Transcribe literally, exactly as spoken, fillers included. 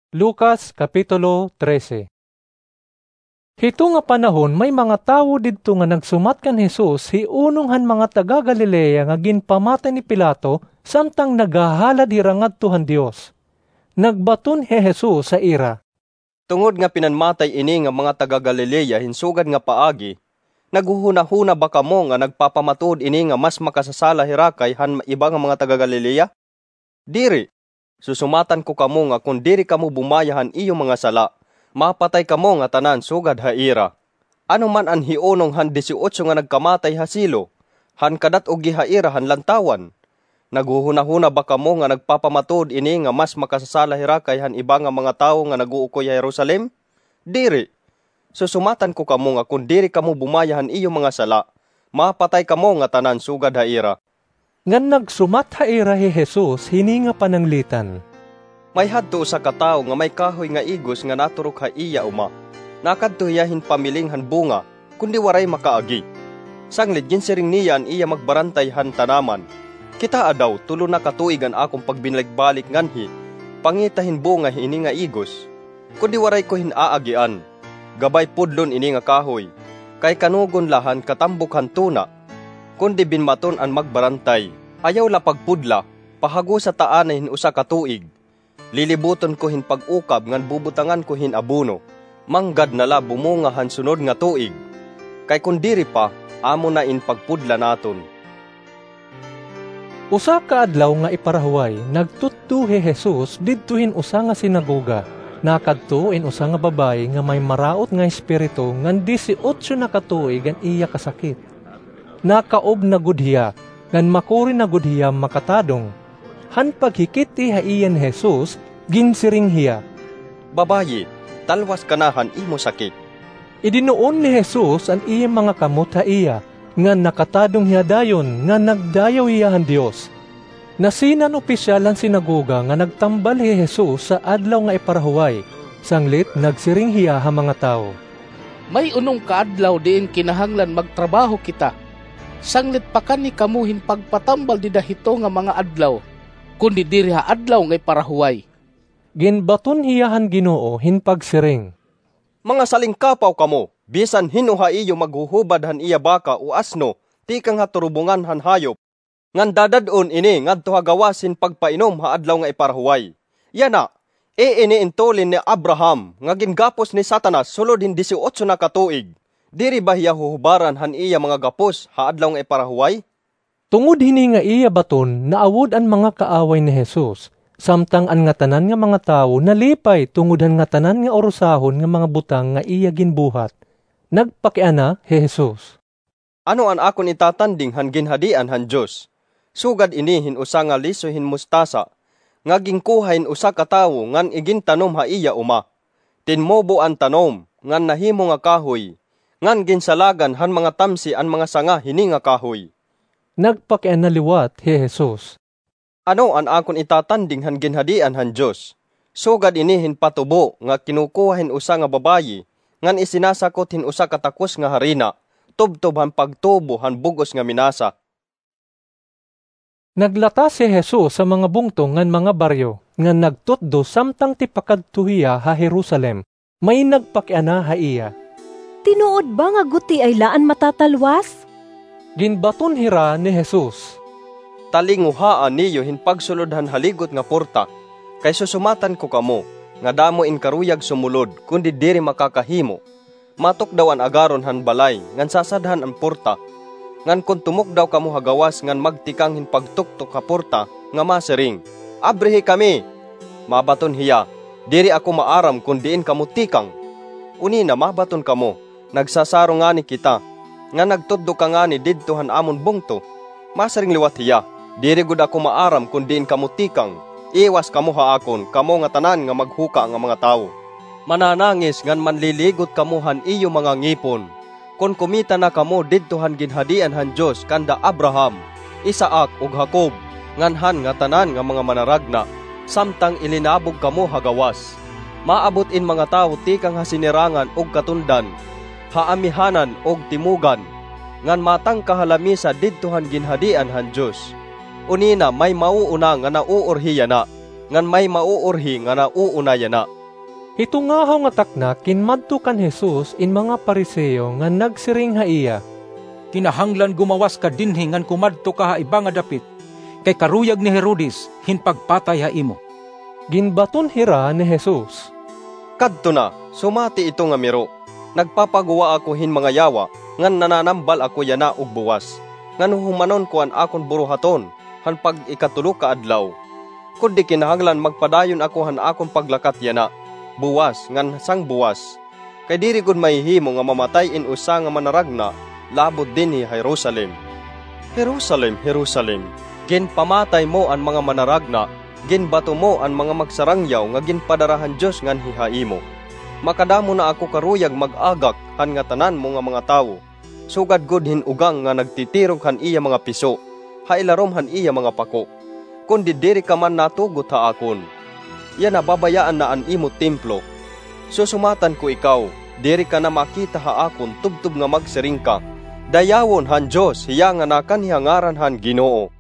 Lucas, Kapitulo trese. Hito nga panahon, may mga tawo didto nga nagsumat kan Jesus hi unong han mga taga-Galilea nga ginpamatay ni Pilato, samtang naghahalad hira ngadto han Dios. Nagbaton hi Jesus ha ira, "Tungod nga pinanmatay ini nga mga taga-Galilea hin sugad nga paagi, naghuhunahuna ba kamo nga nagpapamatuod ini nga mas makasasala hira kay han iba nga mga taga-Galilea? Diri. Susumatan ko kamo nga kon diri kamo bumaya han iyo mga sala, mapatay kamo ngatanan sugad ha ira. Ano man an hiunong han disiotso nga nagkamatay ha Silo, han kadat-ogi ha ira han lantawan? Naghuhunahuna ba kamo nga nagpapamatuod ini nga mas makasasala hira kay han iba nga mga tawo nga nag-uukoy ha Jerusalem? Diri. Susumatan ko kamo nga kon diri kamo bumaya han iyo mga sala, mapatay kamo ngatanan sugad ha ira." Ngan nagsumat ha ira hi Jesus hini nga pananglitan, "May hadto usa ka tawo nga may kahoy nga igos nga naturok ha iya uma. Nakadto hiya hin pamiling han bunga, kundi waray makaagi. Sanglit ginsiring niya an iya magbarantay han tanaman, 'Kitaa daw, tulo na ka tuig an akon pagbinalik-balik nganhi pangita hin bunga hini nga igos, kundi waray ko hin aagian. Gabay pudlon ini nga kahoy, kay kanugon la han katambok han tuna.' Kundi binmaton an magbarantay, 'Ayaw la pagpudla, pahagosa ta anay hin usa ka tuig. Lilibuton ko hin pag-ukab ngan bubutangan ko hin abono. Manggad na la bumunga han sunod nga tuig. Kay kon diri pa, amo na in pagpudla naton.'" Usa ka adlaw nga iparahuway, nagtutdo hi Jesus didto hin usa nga sinagoga. Nakadto in usa nga babaye nga may maraot nga espiritu ngan disiotso na ka tuig an iya kasakit. Nakaob na gud hiya, ngan makuri na gud hiya makatadong. Han paghikit-i ha iya ni Jesus, ginsiring hiya, "Babaye, talwas ka na han imo sakit." Idinuon ni Jesus an iya mga kamot ha iya, ngan nakatadong hiya dayon, ngan nagdayaw hiya han Dios. Nasina an opisyal han sinagoga nga nagtambal hi Jesus sa Adlaw nga Iparahuway, sanglit nagsiring hiya ha mga tawo, "May unom ka adlaw diin kinahanglan magtrabaho kita. Sanglit pakani kamo hin pagpatambal dida hito nga mga adlaw, kundi diri ha Adlaw nga Iparahuway." Ginbaton hiya han Ginoo hin pagsiring, "Mga salingkapaw kamo! Bisan hin-o ha iyo maghuhubad han iya baka o asno tikang ha turubungan han hayop, ngan dadad-on ini ngadto ha gawas hin pagpainom ha Adlaw nga Iparahuway. Yana, iini in tulin ni Abraham nga gingapos ni Satanas sulod hin disiotso na ka tuig. Diri ba hiya huhubaran han iya mga gapos ha Adlaw nga Iparahuway?" Tungod hini nga iya baton, naawod an mga kaaway ni Jesus, samtang an ngatanan nga mga tawo nalipay tungod han ngatanan nga urusahon nga mga butang nga iya ginbuhat. Nagpakiana hi Jesus, "Ano an akon itatanding han Ginhadian han Dios? Sugad ini hin usa nga liso hin mustasa nga ginkuha hin usa ka tawo ngan igintanom ha iya uma. Tinmubo an tanom ngan nahimo nga kahoy, ngan ginsalagan han mga tamsi an mga sanga hini nga kahoy." Nagpakiana liwat hi Jesus, "Ano an akon itatanding han Ginhadian han Dios? Sugad ini hin patubo nga kinukuha hin usa nga babaye ngan isinasakot hin usa ka takos nga harina, tubtob han pagtubo han bug-os nga minasa." Naglatas hi Jesus ha mga bungto ngan mga baryo, ngan nagtutdo samtang tipakadto hiya ha Jerusalem. May nagpakiana ha iya, "Tinuod ba nga gutiay la an matatalwas?" Ginbaton hira ni Jesus, "Talinguhaa niyo hin pagsulod han haligot nga porta, kay susumatan ko kamo nga damo in karuyag sumulod, kundi diri makakahimo. Matukdaw an agaron han balay ngan sasadhan an porta. Ngan kon tumukdaw kamo ha gawas ngan magtikang hin pagtuktok ha porta nga masiring, 'Abrihi kami!' Mabaton hiya, 'Diri ako maaram kon diin kamo tikang.' Unina mabaton kamo, 'Nagsasaro ngani kita, ngan nagtutdo ka ngani didto han amon bungto.' Masiring liwat hiya, 'Diri gud ako maaram kon diin kamo tikang. Iwas kamo ha akon, kamo ngatanan nga maghuka nga mga tawo. Mananangis ngan manliligot kamo han iyo mga ngipon, kon kumita na kamo didto han Ginhadian han Dios kanda Abraham, Isaac, ug Jacob, ngan han ngatanan nga mga manaragna, samtang ilinabog kamo ha gawas. Maabot in mga tawo tikang ha sinirangan ug katundan, ha amihanan ug timogan, ngan matangka ha lamisa didto han Ginhadian han Dios. Unina may mauuna nga nauurhi yana, ngan may mauurhi nga nauuna yana." Ito ngahaw nga takna kinmadto kan Jesus in mga Fariseo ngan nagsiring ha iya, "Kinahanglan gumawas ka dinhi ngan kumadto ka ha iba nga dapit, kay karuyag ni Herodes hin pagpatay ha imo." Ginbaton hira ni Jesus, "Kadto na, sumati ito nga miro. Nagpapagwa ako hin mga yawa, ngan nananambal ako yana ug buwas, ngan huhumanon ko an akon buruhaton han pag-ikatulo ka adlaw. Kundi kinahanglan magpadayon ako han akon paglakat yana, buwas ngan sang buwas. Kay diri gud mahihimo nga mamatay in usa nga manaragna labot dinhi ha Jerusalem. Jerusalem, Jerusalem, ginpamatay mo an mga manaragna, ginbato mo an mga magsarangyaw nga ginpadara han Dios nganhi ha imo. Makadamo na ako karuyag mag-agak han ngatanan mo nga mga tawo. Sugad gud hin ugang nga nagtitirog han iya mga piso ha ilarom han iya mga pako. Kundi diri ka man natugot ha akon. Yana, babayaan na an imo templo. Susumatan ko ikaw, diri ka na makita ha akon tubtob nga magsiring ka, 'Dayawon han Dios hiya nga nakanhi ha ngaran han Ginoo.'"